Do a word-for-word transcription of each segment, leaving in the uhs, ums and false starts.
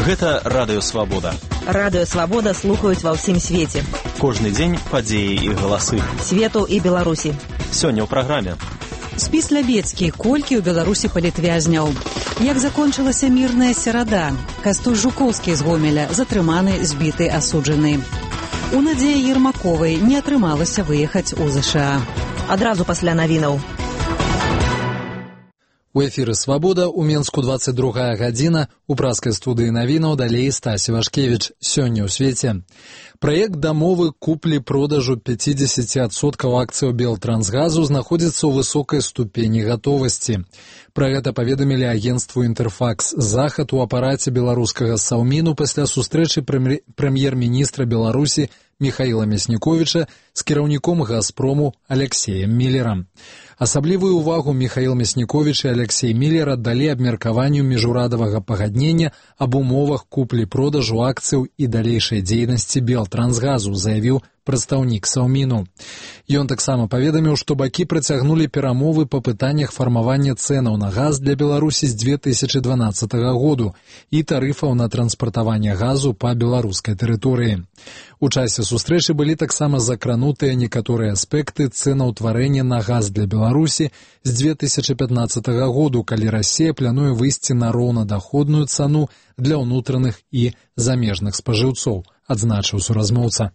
Гэта Радыё Свабода. Радыё Свабода слухаюць ва ўсім свеце. Кожны дзень падзеі і галасы. Свету і Беларусі. Сёння ў праграме. Спіс Лябецкі. Колькі ў Беларусі палітвязняў? Як закончылася мірная серада? Кастусь Жукоўскі з Гомеля затрыманы, збіты, асуджаны. У Надзеі Ермаковай не атрымалася выехаць у ЗША. Адразу пасля навінаў. У эфіры «Свабода» у Менску двадцать другая гадзіна, у праскай студыі навінаў далей Стасі Вашкевіч. Сёння ў свеце. Праект дамовы куплі-продажу пятьдесят адсоткаў акцыяў Белтрансгазу знаходзіцца ў высокай ступені гатовасці. Пра гэта паведамілі агенцтву «Інтэрфакс Захад» у апараце беларускага Саўміну пасля сустрэчы прэм'ер-міністра Беларусі Михаила Мясніковіча з кіраўніком «Газпрому» Алексеем Міллерам. Асаблівую увагу Михаил Мясніковіч і Алексей Міллер аддалі абмеркаванню міжурадавага пагаднення аб умовах куплі-продажу акцыяў і далейшай дзейнасці Белтрансгазу, заявіў прадстаўнік Саўміну. Ён таксама паведаміў, што бакі працягнулі перамовы па пытаннях фармавання цэнаў на газ для Беларусі з две тысячы дванаццатага году і тарыфаў на транспартаванне газу па беларускай тэрыторыі. У часе сустрэчы былі таксама закранутыя некаторыя аспекты цэнаўтварэння на газ для Беларусі з две тысячы пятнаццатага году, калі Расія плануе выйсці на роўнадаходную цану для ўнутраных і замежных спажыўцоў, адзначыў суразмоўца.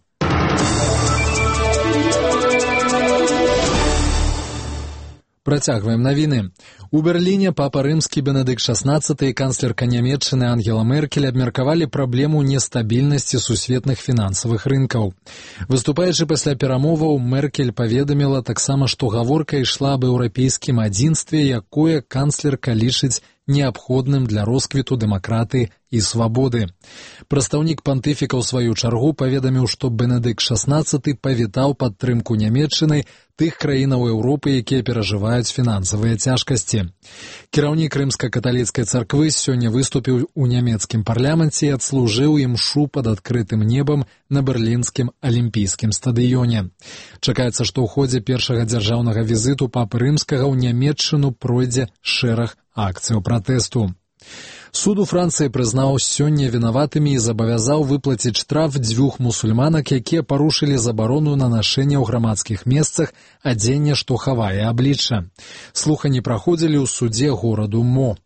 Працягваем навіны. У Берліне папа рымскі Бенедыкт шаснаццаты і канцлерка Нямецчыны Ангела Меркель абмеркавалі праблему нестабільнасці сусветных фінансавых рынкаў. Выступаючы пасля перамоваў, Меркель паведаміла таксама, што гаворка ішла аб еўрапейскім адзінстве, якое канцлерка лічыць неабходным для росквіту дэмакратыі і свабоды. Прадстаўнік пантыфіка ў сваю чаргу паведаміў, што Бенедыкт шаснаццаты павітаў падтрымку Нямецчыны тых краінаў Еўропы, якія перажываюць фінансавыя цяжкасці. Кіраўнік рымска-каталіцкай царквы сёння выступіў у нямецкім парламенце і адслужыў імшу пад адкрытым небам на берлінскім алімпійскім стадыёне. Чакаецца, што ў ходзе першага дзяржаўнага візіту папы рымскага ў Нямецчыну пройдзе шэраг акцыяў пратэсту. Суд у Францыі прызнаў сёння вінаватымі і забавязаў выплаціць штраф дзвюх мусульманак, якія парушылі забарону на нашэнне ў грамадскіх месцах адзення, што хавае аблічча. Слуханні праходзілі ў судзе гораду Мо.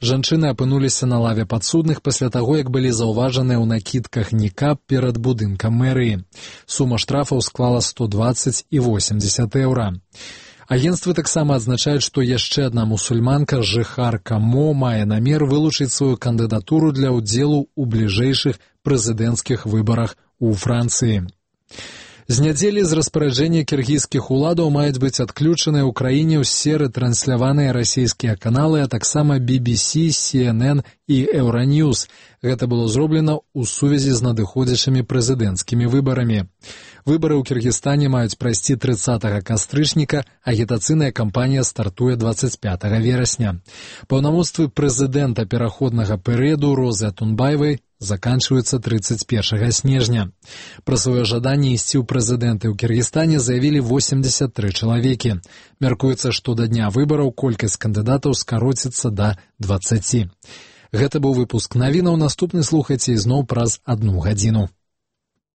Жанчыны апынуліся на лаве падсудных пасля таго, як былі заўважаныя ў накідках нікаб перад будынкам мэрыі. Сума штрафаў склала сто дваццаць і восемьдесят еўра. Агенцтвы таксама адзначаюць, што яшчэ адна мусульманка, жыхарка Мо, мае намер вылучыць сваю кандыдатуру для ўдзелу ў бліжэйшых прэзідэнцкіх выбарах у Францыі. З нядзелі з распараджэння кіргізскіх уладаў маюць быць адключаныя ў краіне ўсе рэтрансляваныя расійскія каналы, а таксама би би си, си эн эн і Еўраньюз. Гэта было зроблена ў сувязі з надыходзячымі прэзідэнцкімі выбарамі. Выбары ў Кіргізстане маюць прайсці трыццатага кастрычніка, агітацыйная кампанія стартуе дваццаць пятага верасня. Паўнамоцтвы прэзідэнта пераходнага перыяду Розы Атунбаевай заканчваюцца трыццаць першага снежня. Пра сваё жаданне ісці ў прэзідэнты ў Кіргізстане заявілі восемьдесят тры чалавекі. Мяркуецца, што да дня выбараў колькасць кандыдатаў скароціцца да дваццаці. Гэта быў выпуск навінаў, наступны слухайце ізноў праз адну гадзіну.